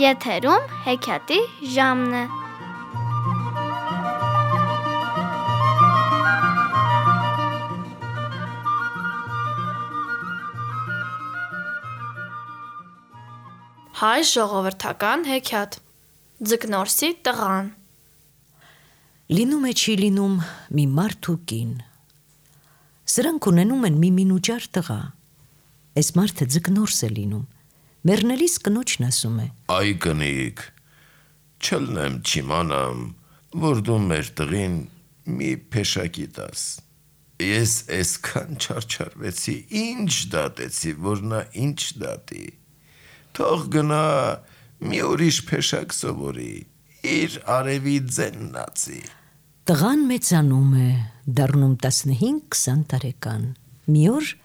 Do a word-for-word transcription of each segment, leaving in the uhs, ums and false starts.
Եթերում հեքիաթի ժամն է։ Հայ ժողովրդական հեքիաթ Ձկնորսի տղան։ Լինում է չի լինում մի մարդ ու կին։ Սրանք ունենում են մի մինուճար տղա։ Այս մարդը ձկնորս է լինում։ Մեռնելիս կնոջն ասում է. Այ կնիկ, չլնեմ չիմանամ, որ դու մեր տղին մի փեշակի տաս։ Ես այսքան չարչարվեցի, ինչ դատեցի, որ նա ինչ դատի։ Թող գնա մի ուրիշ փեշակ սովորի, իր արևի ձենն ածի։ Տղան մեծանում է, դառնում տասնհինգ քսան տարեկան։ Մի օր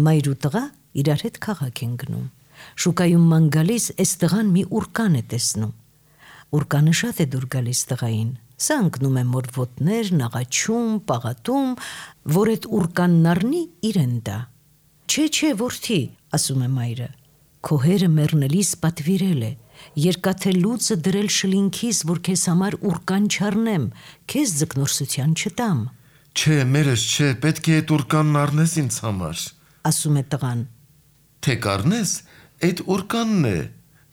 մայր ու տղա իրար հետ քաղաք են գնում։ Շուկայում ման գալիս այս տղան մի ուրկան է տեսնում։ Ուրկանը շատ է դուր գալիս տղային։ Սա ընկնում է մոր ոտներ, նաղաչում, պաղատում, որ այդ ուրկանն առնի իրեն տա։ Չէ, չէ, որդի, ասում է մայրը, քո հերը մեռնելիս պատվիրել է, երկաթե լուծը դրել շլինքիս, որ քեզ համար ուրկան չառնեմ, քեզ ձկնորսության չտամ։ Չէ, մերս չէ, պետք է այդ ուրկանն առնես ինձ համար, ասում է տղան։ Թե կառնես, այդ ուրկանն է,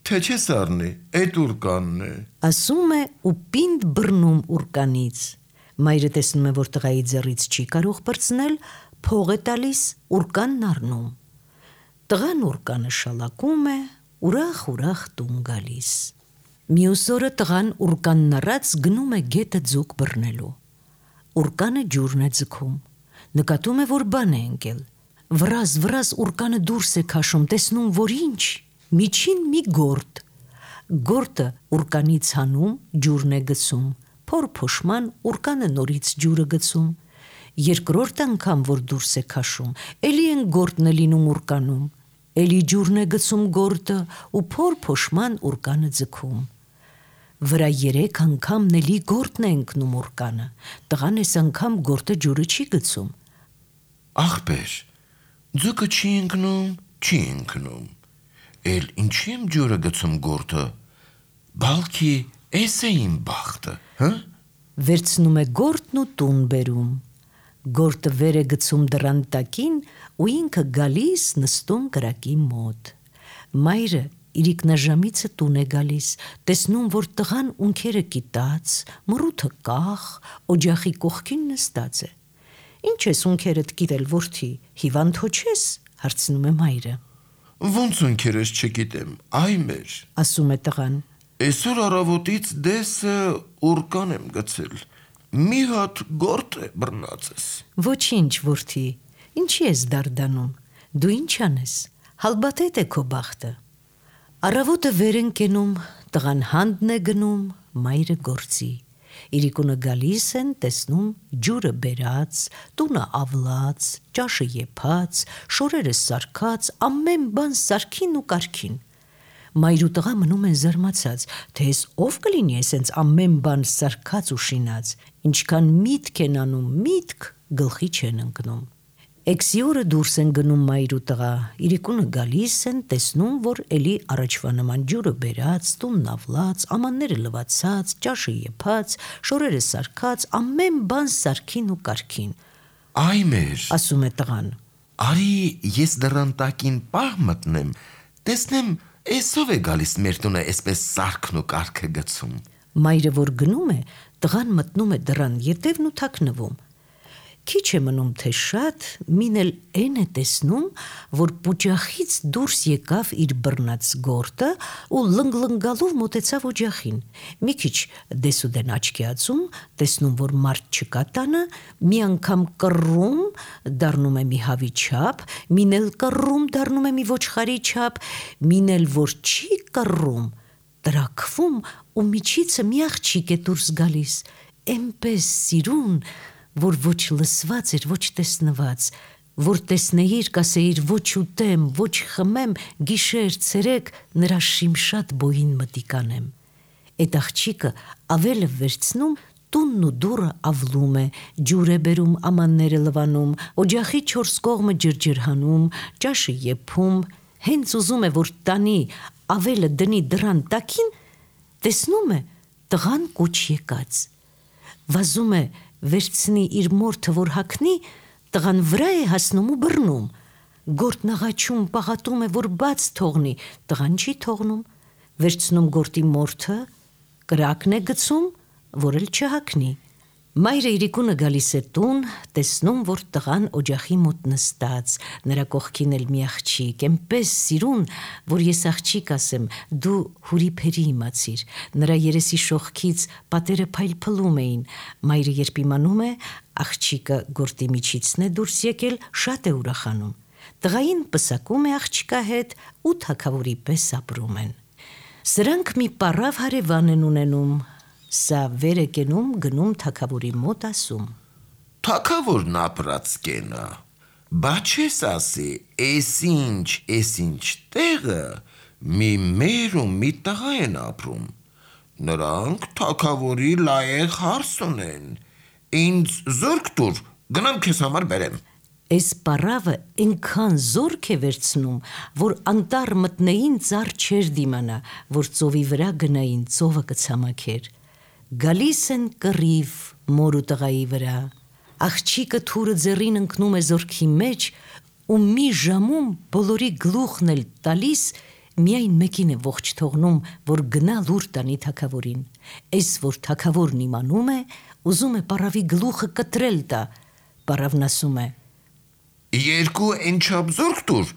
թե չես առնի, այդ ուրկանն է, ասում է ու պինդ բռնում ուրկանից։ Մայրը տեսնում է, որ տղայի ձեռից չի կարող բրցնել, փող է տալիս, ուրկանն առնում։ Տղան ուրկանը շալակում է, ուրախ-ուրախ տուն գալիս։ Մյուս օրը տղան ուրկանն առած գնում է գետը ձուկ բռնելու։ Ուրկանը ջուրն է ձգում։ Նկատում է, որ բան է ընկել։ Վրազ, վրազ ուրկանը դուրս է քաշում, տեսնում, որ ինչ, միջին մի գորտ։ Գորտը ուրկանից հանում, ջուրն է գցում, փոր փոշման ուրկանը նորից ջուրը գցում։ Երկրորդ անգամ, որ դուրս է քաշում, էլի են գորտն է լինում ուրկանում, էլի ջուրն է գցում գորտը ու փոր փոշման ուրկանը ձգում։ Վրա երեք անգամ նելի գորտն է ընկնում ուրկանը, տղան այս անգամ գորտը ջուրը չի գցում։ Ախպեր, ձուկը չի ընկնում, չի ընկնում, էլ ինչի եմ ջուրը գցում գորտը, բալքի էս է իմ բախտը, հը? Վերցնում է գորտն ու տուն բերում, գորտը վեր է գցում դռան տակին ու ինքը գալիս նստում կրակի մոտ։ Մայրը իրիկնաժամիցը տուն է գալիս, տեսնում, որ տղան ունքերը կիտած, մռութը կախ, օջախի կողքին նստած է։ Ինչ ես ունքերդ կիտել, որդի, հիվանդ հո չես, հարցնում է մայրը։ Ոնց ունքերս չգիտեմ, այ մեր, ասում է տղան։ Այսօր առավոտից դեսը ուրկան եմ գցել, մի հատ գորտ է բռնածես։ Ոչինչ, որդի, ինչի ես դարդանում, դու ինչ անես, հալբաթետ է քո բախտը։ Առավոտը վեր են կենում, տղան հանդն է գնում, մայրը գործի։ Իրիկունը գալիս են, տեսնում ջուրը բերած, տունը ավլած, ճաշը եփած, շորերը սարքած, ամեն բան սարքին ու կարգին։ Մայր ու տղա մնում են զարմացած, թե ես ով կլինի այսենց ամեն բան սարքած ու շինած, ինչքան միտք են անում, միտք գլխի չեն ընկնում։ Էքսի օրը դուրս են գնում մայր ու տղա, իրիկունը գալիս են, տեսնում, որ էլի առաջվա նման ջուրը բերած, տունն ավլած, ամանները լվացած, ճաշը եփած, շորերը սարքած, ամեն բան սարքին ու կարգին։ Այ մեր, ասում է տղան։ Արի ես դռան տակին պահ մտնեմ, տեսնեմ էսով է գալիս մեր տունը այսպես սարքն ու կարգը գցում։ Մայրը որ գնում է, տղան մտնում է դռան ետևն ու թաքնվում։ Քիչ է մնում թե շատ, մին էլ են է տեսնում, որ պուճախից դուրս եկավ իր բռնած գորտը ու լնգլնգալով մոտեցավ օջախին։ Մի քիչ դեսուդեն աչքի ածում, տեսնում, որ մարդ չկա տանը, մի անգամ կռում, դառնում է մի հավի չափ, մին էլ կռում, դառնում է մի ոչխարի չափ, մին էլ որ չի կռում, տրաքվում ու միջիցը մի աղջիկ է դուրս գալիս, էնպես սիրուն, որ ոչ լսված էր, ոչ տեսնված, որ տեսնեիր, կասեիր ոչ ուտեմ, ոչ խմեմ, գիշեր, ցերեկ նրա շիմշատ բոյին մտիկանեմ։ Այդ աղջիկը ավելը վերցնում, տունն ու դուռը ավլում է, ջուր է բերում, ամանները լվանում, օջախի չորս կողմը ջրջրհանում, ճաշը եփում, հենց ուզում է, որ տանի, ավելը դնի դրան տակին, տեսնում է տղան կուչ եկած։ Վազում է վերցնի իր մորթը, որ հագնի, տղան վրա է հասնում ու բռնում։ Գորտն աղաչում, պաղատում է, որ բաց թողնի, տղան չի թողնում, վերցնում գորտի մորթը, կրակն է գցում, որ էլ չհագնի։ Մայրը իրիկունը գալիս է տուն, տեսնում, որ տղան օջախի մոտ նստած, նրա կողքին էլ մի աղջիկ, այնպես սիրուն, որ ես աղջիկ ասեմ, դու հուրիփերի իմացիր, նրա երեսի շողքից պատերը փայլփլում էին, մայրը երբ իմանում է, աղջիկը գորտի միջիցն է դուրս եկել, շատ է ուրախանում, տղային պսակում է աղջիկա հետ ու թագավորի պես ապրում են։ Սրանք մի պառավ հարևան են ունենում, սա վեր է կենում, գնում թագավորի մոտ ասում. Թագավորն ապրած կենա, բա չես ասի, էս ինչ, էս ինչ տեղը մի մեր ու մի տղա են ապրում, նրանք թագավորի լայեղ հարս ունեն, ինձ զորք տուր, գնամ քեզ համար բերեմ։ Էս պառավը այնքան զորք է վերցնում, որ անտառ մտնեին ծառ չեր դիմանա, որ ծովի վրա գնային, ծովը կցամաքեր։ Գալիս են կռիվ մոր ու տղայի վրա, աղջիկը թուրը ձեռին ընկնում է զորքի մեջ ու մի ժամում բոլորի գլուխն էլ տալիս, միայն մեկին է ողջ թողնում, որ գնա լուր տանի թագավորին։ Էս որ թագավորն իմանում է, ուզում է պառավի գլուխը կտրել տա, պառավն ասում է. Երկու ենչապ զորք տուր,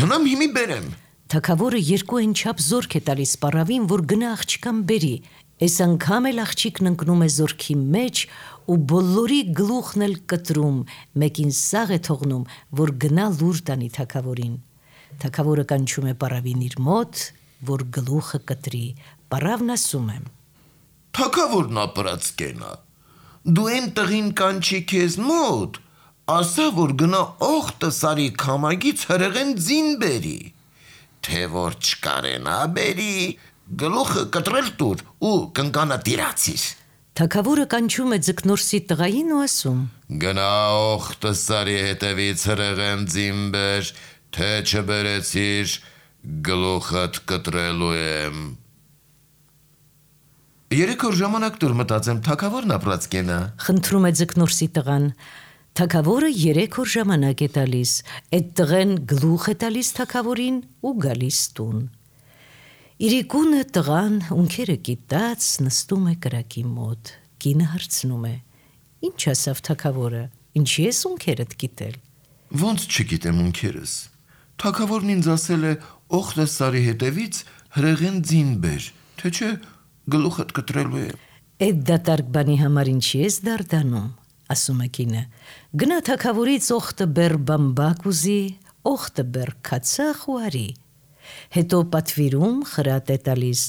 գնամ հիմի բերեմ։ Թագավորը երկու ենչապ զորք է տալիս պառավին, որ գնա աղջկան բերի, այս անգամ էլ աղջիկն ընկնում է զորքի մեջ ու բոլորի գլուխն էլ կտրում, մեկին սաղ է թողնում, որ գնա լուր տանի թագավորին։ Թագավորը կանչում է պառավին իր մոտ, որ գլուխը կտրի, պառավն ասում է. Թագավորն ապրած կենա, դու են տղին կանչի քեզ մոտ, ասա, որ գնա օղտը սարի քամագից հրեղեն ձին բերի, թե որ չկարենա բերի, գլուխը կտրել տուր ու կնկանա տիրացիր։ Թագավորը կանչում է ձկնորսի տղային ու ասում. Գնա օղտը սարի հետևից հրեղեն ձին բեր, թե չբերեցիր, գլուխդ կտրելու եմ։ Երեք օր ժամանակ տուր մտածեմ, թագավորն ապրած կենա։ Խնդրում է ձկնորսի տղան։ Թագավորը երեք օր ժամանակ է տալիս, այդ տղեն գլուխ է տալիս թագավորին ու գալիս տուն։ Իրիկունը տղան ունքերը կիտած նստում է կրակի մոտ, կինը հարցնում է. Ինչ ասավ թագավորը, ինչի ես ունքերդ կիտել։ Ոնց չգիտեմ ունքերս։ Թագավորն ինձ ասել է օղտը սարի հետևից հրեղեն ձին բեր, թե չէ գլուխդ կտրելու է։ Այդ դատարկ բանի համար ինչի ես դարդանում, ասում է կինը, գնա թագավորից օղտը բեր բամբակ ուզի, օղտը բեր քացախ ու արի, հետո պատվիրում խրատ է տալիս,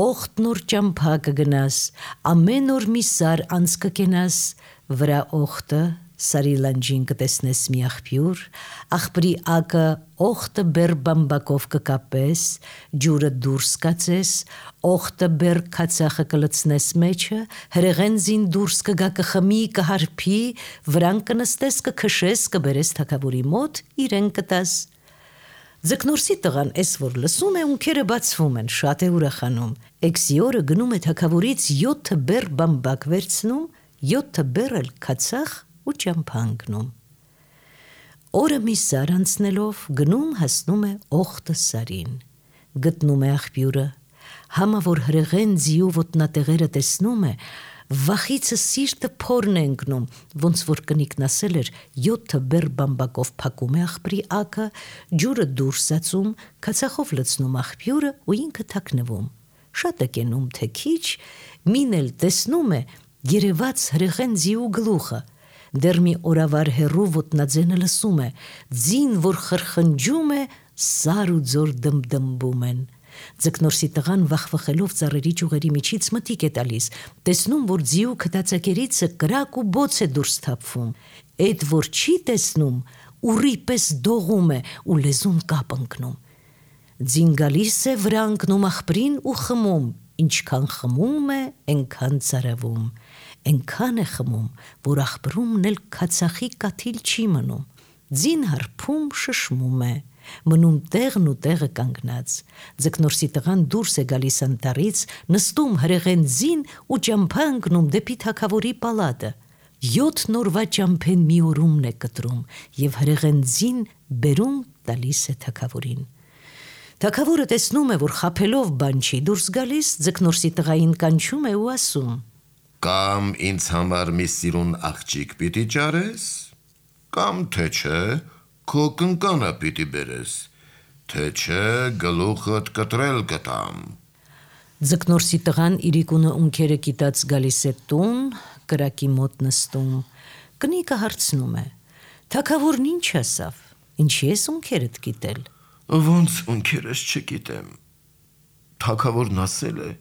օղտն օր ճամփա կգնաս, ամեն օր մի սար անց կկենաս, վրա օղտը սարի լանջին կտեսնես մի աղբյուր, աղբրի ակը օղտը բեր բամբակով կկապես, ջուրը դուրս կացես, օղտը բեր քացախը կլցնես մեջը, հրեղեն զին դուրս կգա կխմի, կհարփի, վրան կնստես, կքշես, կբերես թագավորի մոտ, իրեն կտաս։ Ձկնորսի տղան էս որ լսում է, ունքերը բացվում են, շատ է ուրախանում։ Էքսի օրը գնում է թագավորից յոթը բեր բամբակ վերցնում, յոթը բեր էլ քացախ ու ճամփանգնում։ Օրը մի սար անցնելով գնում հասնում է օղտը սարին, գտնում է աղբյուրը, համա որ հրեղեն ձիու ոտնատեղերը տեսնում է, վախիցը սիրտը փորն է ընկնում, ոնց որ կնիկն ասել էր, յոթը բեր բամբակով փակում է աղբրի ակը, ջուրը դուրս ածում, քացախով լցնում աղբյուրը ու ինքը թաքնվում։ Շատ է կենում թե քիչ, մին էլ տեսնում է երևաց հրեղեն ձիու գլուխը, դեռ մի օրավար հեռու ոտնաձենը լսում է, ձին որ խրխնջում է, սար ու ձոր դմդմբում են։ Ձկնորսի տղան վախվխելով ծառերի ճյուղերի միջից մտիկ է տալիս, տեսնում, որ ձիու քթացակերիցը կրակ ու բոց է դուրս թափվում, այդ որ չի տեսնում, ուռի պես դողում է ու լեզուն կապ ընկնում։ Ձին գալիս է վրա ընկնում աղբրին ու խմում, ինչքան խմում է, այնքան ծարավում, այնքան է խմում, որ աղբրումն էլ քացախի կաթիլ չի մնում, ձին հարբում շշմում է, Մնում տեղն ու տեղը կանգնած։ Ձկնորսի տղան դուրս է գալիս անտառից, նստում հրեղենձին ու ճամփա ընկնում դեպի թագավորի պալատը։ Յոթ նորվա ճամփեն մի օրումն է կտրում եւ հրեղենձին բերում տալիս է թագավորին։ Թագավորը տեսնում է, որ խաբելով բան չի դուրս գալիս, ձկնորսի տղային կանչում է ու ասում. Կամ ինձ համար մի սիրուն աղջիկ պիտի ճարես, կամ թե չէ քո կնկանը պիտի բերես, թե չէ գլուխդ կտրել կտամ։ Ձկնորսի տղան իրիկունը ունքերը կիտած գալիս է տուն, կրակի մոտ նստում, կնիկը հարցնում է. թագավորն ինչ ասավ, ինչի ես ունքերդ կիտել։ Ոնց ունքերս չգիտեմ։ Թագավորն ասել է,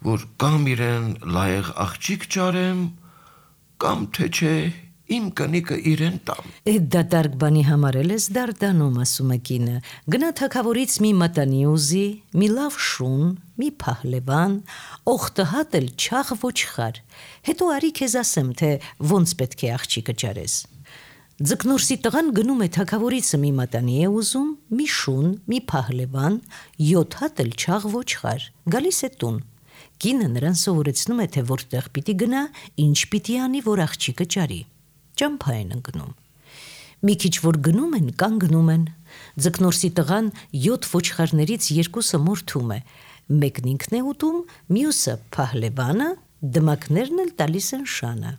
որ կամ իրեն լայեղ աղջիկ ճարեմ, կամ թե չէ իմ կնիկը իրեն տամ։ Էդ դատարկ բանի համար էլ ես դարդանում, ասում է կինը, գնա թագավորից մի մատանի ուզի, մի լավ շուն, մի փահլևան, օխտը հատել չաղ ոչխար, հետո արի քեզ ասեմ, թե ոնց պետք է աղջիկը ճարես։ Ձկնորսի տղան գնում է թագավորիցը մի մատանի է ուզում, մի շուն, մի փահլևան, յոթ հատել չաղ ոչխար, գալիս է տուն։ Կինը նրան սովորեցնում է, թե որտեղ պիտի գնա, ինչ պիտի անի, որ աղջիկը ճարի։ Ճամփա են ընկնում։ Մի քիչ որ գնում են, կանգնում են։ Ձկնորսի տղան յոթ ոչխարներից երկուսը մորթում է, մեկն ինքն է ուտում, մյուսը փահլևանը, դմակներն էլ տալիս են շանը։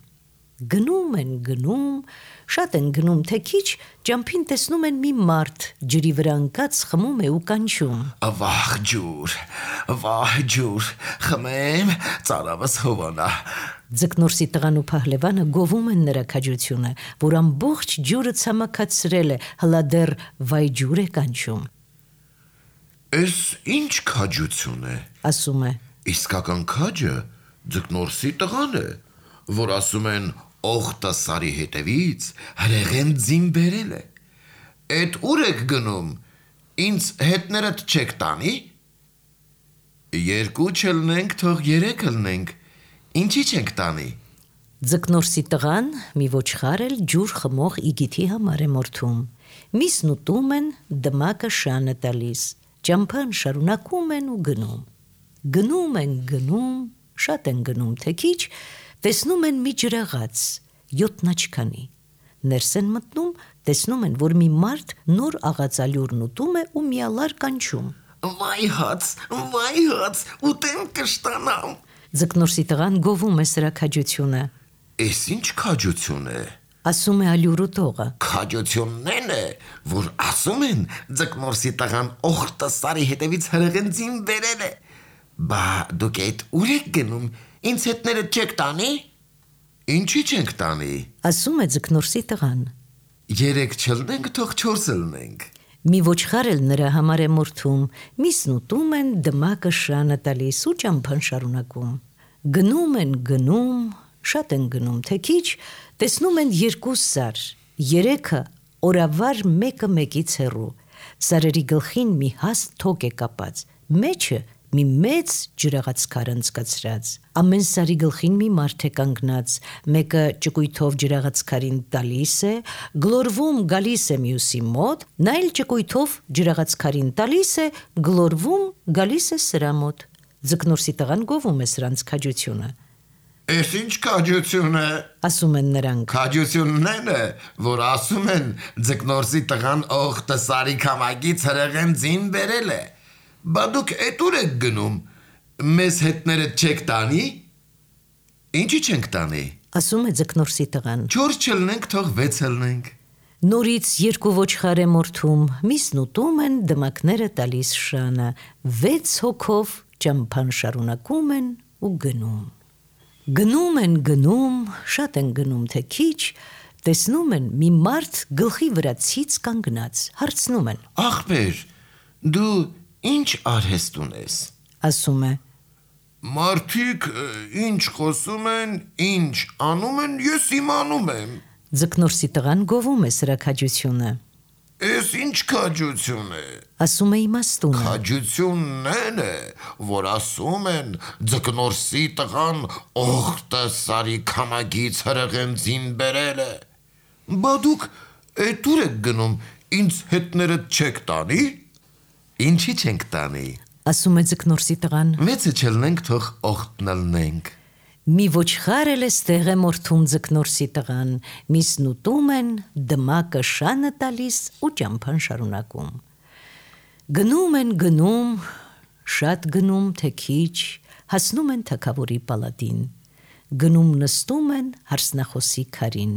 Գնում են, գնում, շատ են գնում, թե քիչ ճամփին տեսնում են մի մարդ, ջրի վրա ընկած խմում է ու կանչում. Վահ ջուր, վահ ջուր, խմեմ, ծարավս հովանա։ Ձկնորսի տղան ու փահլևանը գովում են նրա քաջությունը, որ ամբողջ ջուրը ցամաքացրել է, հլա դեռ վայ ջուր է կանչում։ Էս ինչ քաջություն է, ասում է. իսկական քաջը ձկնորսի տղան է, որ ասում են օխտը սարի հետևից հրեղենձին բերել է։ Էդ ուր եք գնում, ինձ հետներդ չեք տանի։ Երկու չլնենք, թող երեք լնենք, ինչի չենք տանի։ Ձկնորսի տղան մի ոչխար էլ ջուր խմող իգիթի համար է մորթում։ Միսն ուտում են, դմակը շանը տալիս, ճամփան շարունակում են ու գնում։ Գնում են, գնում, շատ են գնում, թե քիչ տեսնում են մի ջրաղաց, յոթնաչքանի։ Ներս են մտնում, տեսնում են, որ մի մարդ նոր աղածալյուրն ուտում է ու միալար կանչում. Վայ հաց, վայ հաց, ուտեմ կշտանամ։ Ձկնորսի տղան գովում է սրա քաջությունը։ Էս ինչ քաջություն է։ Ասում է ալյուր ուտողը. Քաջությունն է, որ ասում են ձկնորսի տղան օխտը սարի հետևից հրեղենձին բերել է։ Բա դուք այդ ուր եք գնում, ինձ հետները չեք տանի։ Ինչի չենք տանի։ Ասում է ձկնորսի տղան. Երեք չլնենք, թող չորսը լնենք։ Մի ոչխար էլ նրա համար է մորթում, միսն ուտում են, դմակը շանը տալիս ու ճամփան շարունակում։ Գնում են, գնում, շատ են գնում, թե քիչ տեսնում են երկու սար, երեքը օրավար մեկը մեկից հեռու։ Սարերի գլխին մի հաստ թոկ է կապած, մեջը մի մեծ ջրաղացքար անցկացրած։ Ամեն սարի գլխին մի մարդ է կանգնած, մեկը ճկույթով ջրաղացքարին տալիս է, գլորվում գալիս է մյուսի մոտ, նա էլ ճկույթով ջրաղացքարին տալիս է, գլորվում գալիս է սրա մոտ։ Ձկնորսի տղան գովում է սրանց քաջությունը։ Էս ինչ քաջություն է, ասում են նրանք։ Քաջությունն է, որ ասում են ձկնորսի տղան օխտը սարի քամագից հրեղենձին բերել է։ Բա դուք էդ ուր եք գնում, մեզ հետները չեք տանի։ Ինչի չենք տանի։ Ասում է ձկնորսի տղան։ Չորս չլնենք, թող վեց լնենք։ Նորից երկու ոչխար է մորթում, միսն ուտում են, դմակները տալիս շանը, վեց հոգով ճամփան շարունակում են ու գնում։ Գնում են, գնում, շատ են գնում, թե քիչ տեսնում են մի մարդ գլխի վրա ցից կանգնած, հարցնում են. Ախպեր, դու ինչ արհեստ ունես։ Ասում է. Մարդիկ ինչ խոսում են, ինչ անում են, ես իմանում եմ։ Ձկնորսի տղան գովում է սրա քաջությունը։ Էս ինչ քաջություն է։ Ասում է իմաստունը։ Քաջությունն է, որ ասում են ձկնորսի տղան օխտը սարի քամագից հրեղենձին բերել է։ Բա դուք էդ ուր եք գնում, ինձ հետներդ չեք տանի։ Ինչի չենք տանի։ Ասում է ձկնորսի տղան։ Մեծը չլնենք, թող օգտնալնենք։ Մի ոչխար էլ էստեղ է մորթում ձկնորսի տղան, միսն ուտում են, դմակը շանը տալիս ու ճամփան շարունակում։ Գնում են գնում, շատ գնում, թե քիչ, հասնում են թագավորի պալատին։ Գնում նստում են հարսնախոսի քարին։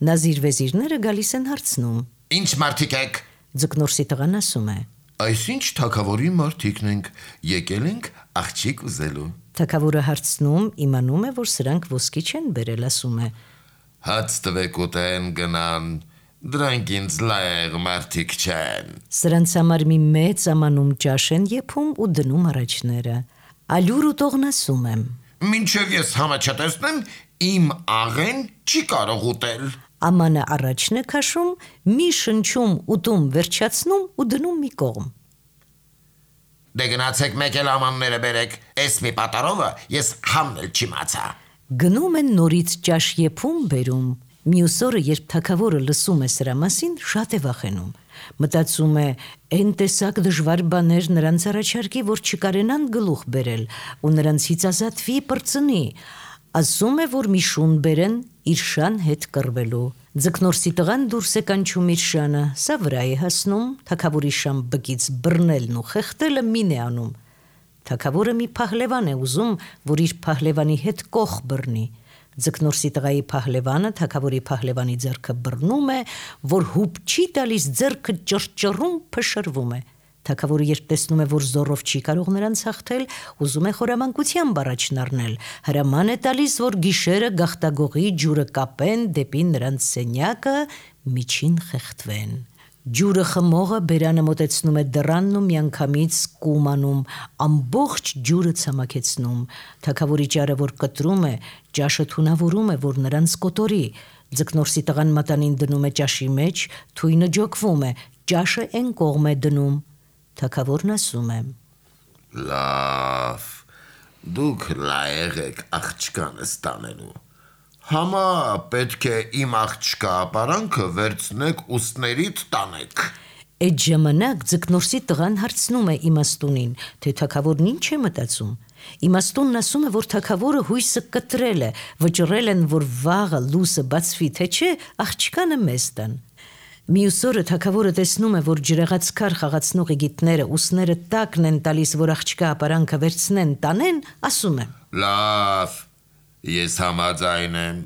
Նազիր վեզիրները գալիս են հարցնում։ Ինչ մարդիկ եք։ Ձկնորսի տղան ասում է. Այսինչ թագավորի մարդիկն ենք, եկել ենք աղջիկ ուզելու։ Թագավորը հարցնում, իմանում է, որ սրանք ոսկի չեն բերել, ասում է. Հաց տվեք ուտեն գնան, դրանք ինձ լայեղ մարդիկ չեն։ Սրանց համար մի մեծ ամանում ճաշ են եփում ու դնում առաջները։ Ալյուր ուտողն ասում եմ. Մինչև ես համը չտեսնեմ, իմ աղեն չի կարող ուտել։ Ամանը առաջն է քաշում, մի շնչում ուտում վերջացնում ու դնում մի կողմ։ Դե գնացեք մեկ էլ ամանները բերեք, էս մի պատարովը ես համն էլ չիմացա։ Գնում են նորից ճաշ եփում բերում։ Մյուս օրը, երբ թագավորը լսում է սրա մասին, շատ է վախենում։ Մտածում է, այն տեսակ դժվար բաներ նրանց առաջարկի, որ չկարենան գլուխ բերել ու նրանցից ազատվի պրծնի։ Ասում է, որ մի շուն բերեն իր շան հետ կռվելու։ Ձկնորսի տղան դուրս է կանչում իր շանը, սա վրա է հասնում, թագավորի շան բկից բռնելն ու խեղդելը մին է անում։ Թագավորը մի փահլևան է ուզում, որ իր փահլևանի հետ կող բռնի։ Ձկնորսի տղայի փահլևանը թագավորի փահլևանի ձեռքը բռնում է, որ հուպ չի տալիս, ձեռքը ճռճռում, փշրվում է։ Թագավորը երբ տեսնում է, որ զորով չի կարող նրանց հաղթել, ուզում է խորամանկությամբ առաջն առնել։ Հրաման է տալիս, որ գիշերը գաղտագողի ջուրը կապեն դեպի նրանց սենյակը, միջին խեղդվեն։ Ջուրը խմողը բերանը մոտեցնում է դռանն ու միանգամից կումանում, ամբողջ ջուրը ցամաքեցնում։ Թագավորի ճարը, որ կտրում է, ճաշը թունավորում է, որ նրանց կոտորի։ Ձկնորսի տղան մատանին դնում է ճաշի մեջ, թույնը ջոկվում է, ճաշը այն կողմ է դնում։ Թագավորն ասում է. Լավ, դուք լայեղ եք աղջկանս տանելու։ Համա պետք է իմ աղջկա ապարանքը վերցնեք ուսներիդ տանեք։ Այդ ժամանակ ձկնորսի տղան հարցնում է իմաստունին, թե թագավորն ինչ է մտածում։ Իմաստունն ասում է, որ թագավորը հույսը կտրել է, վճռել են, որ վաղը լույսը բացվի, թե չէ, աղջկանը մեզ տան։ Մյուս օրը թագավորը տեսնում է, որ ջրեղած քար խաղացնող իգիտները ուսները տակն են տալիս, որ աղջկա ապարանքը վերցնեն, տանեն, ասում է. Լավ, ես համաձայն եմ,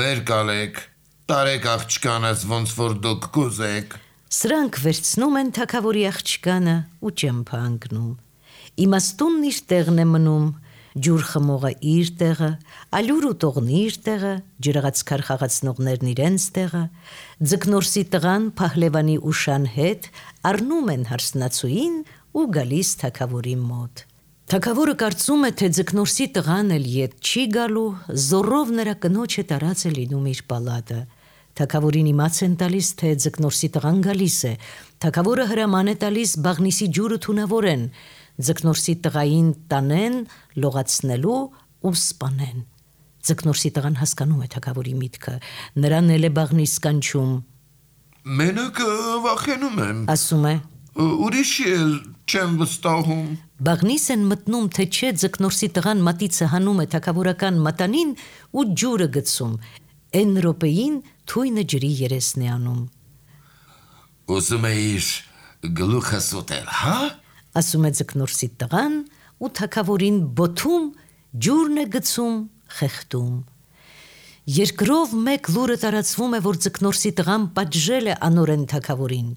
վեր կալեք, տարեք աղջկանս ոնց որ դուք կուզեք։ Սրանք վերցնում են թագավորի աղջկանը ու ճամփա ընկնում։ Իմաստունն իր տեղն է մնում, ջուր խմողը իր տեղը, ալյուր ուտողն իր տեղը, ջրեղած քար խաղացնողներն իրենց տեղը, ձկնորսի տղան փահլևանի ու շան հետ առնում են հարսնացուին ու գալիս թագավորի մոտ։ Թագավորը կարծում է, թե ձկնորսի տղան էլ ետ չի գալու, զորով նրա կնոջը տարած է լինում իր պալատը։ Թագավորին իմաց են տալիս, թե ձկնորսի տղան գալիս է։ Թագավորը հրաման է տալիս բաղնիսի ջուրը թունավորեն, ձկնորսի տղային տանեն, լողացնելու ու սպանեն։ Ձկնորսի տղան հասկանում է թագավորի միտքը, նրան էլ է բաղնիս կանչում։ Մենակ վախենում եմ, ասում է, ուրիշի էլ չեմ վստահում։ Բաղնիս են մտնում, թե չէ ձկնորսի տղան մատիցը հանում է թագավորական մատանին ու ջուրը գցում։ Այն րոպեին թույնը ջրի երեսն է անում։ Ուզում էիր գլուխս ուտել, հա? Ասում է ձկնորսի տղան ու թագավորին բոթում, ջուրն է գցում, խեղդում։ Երկրով մեկ լուրը տարածվում է, որ ձկնորսի տղան պատժել է անօրեն թագավորին։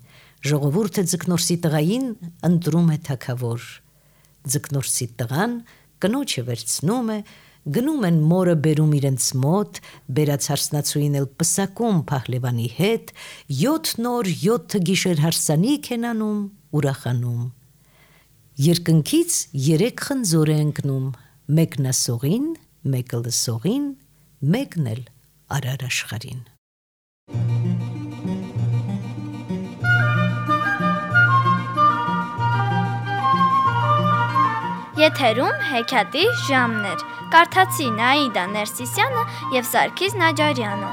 Ժողովուրդը ձկնորսի տղային ընտրում է թագավոր։ Ձկնորսի տղան կնոջը վերցնում է, գնում են մորը բերում իրենց մոտ, բերած հարսնացուին էլ պսակում փահլևանի հետ, յոթ նոր յոթ գիշեր հարսանիք են անում, ուրախանում։ Երկնքից երեք խնձոր է ընկնում, մեկն ասողին, մեկը լսողին, մեկն էլ արար աշխարհին։ Եթերում հեքիաթի ժամն էր։ Կարդացի Նաիդա Ներսիսյանը և Սարգիս Նաջարյանը։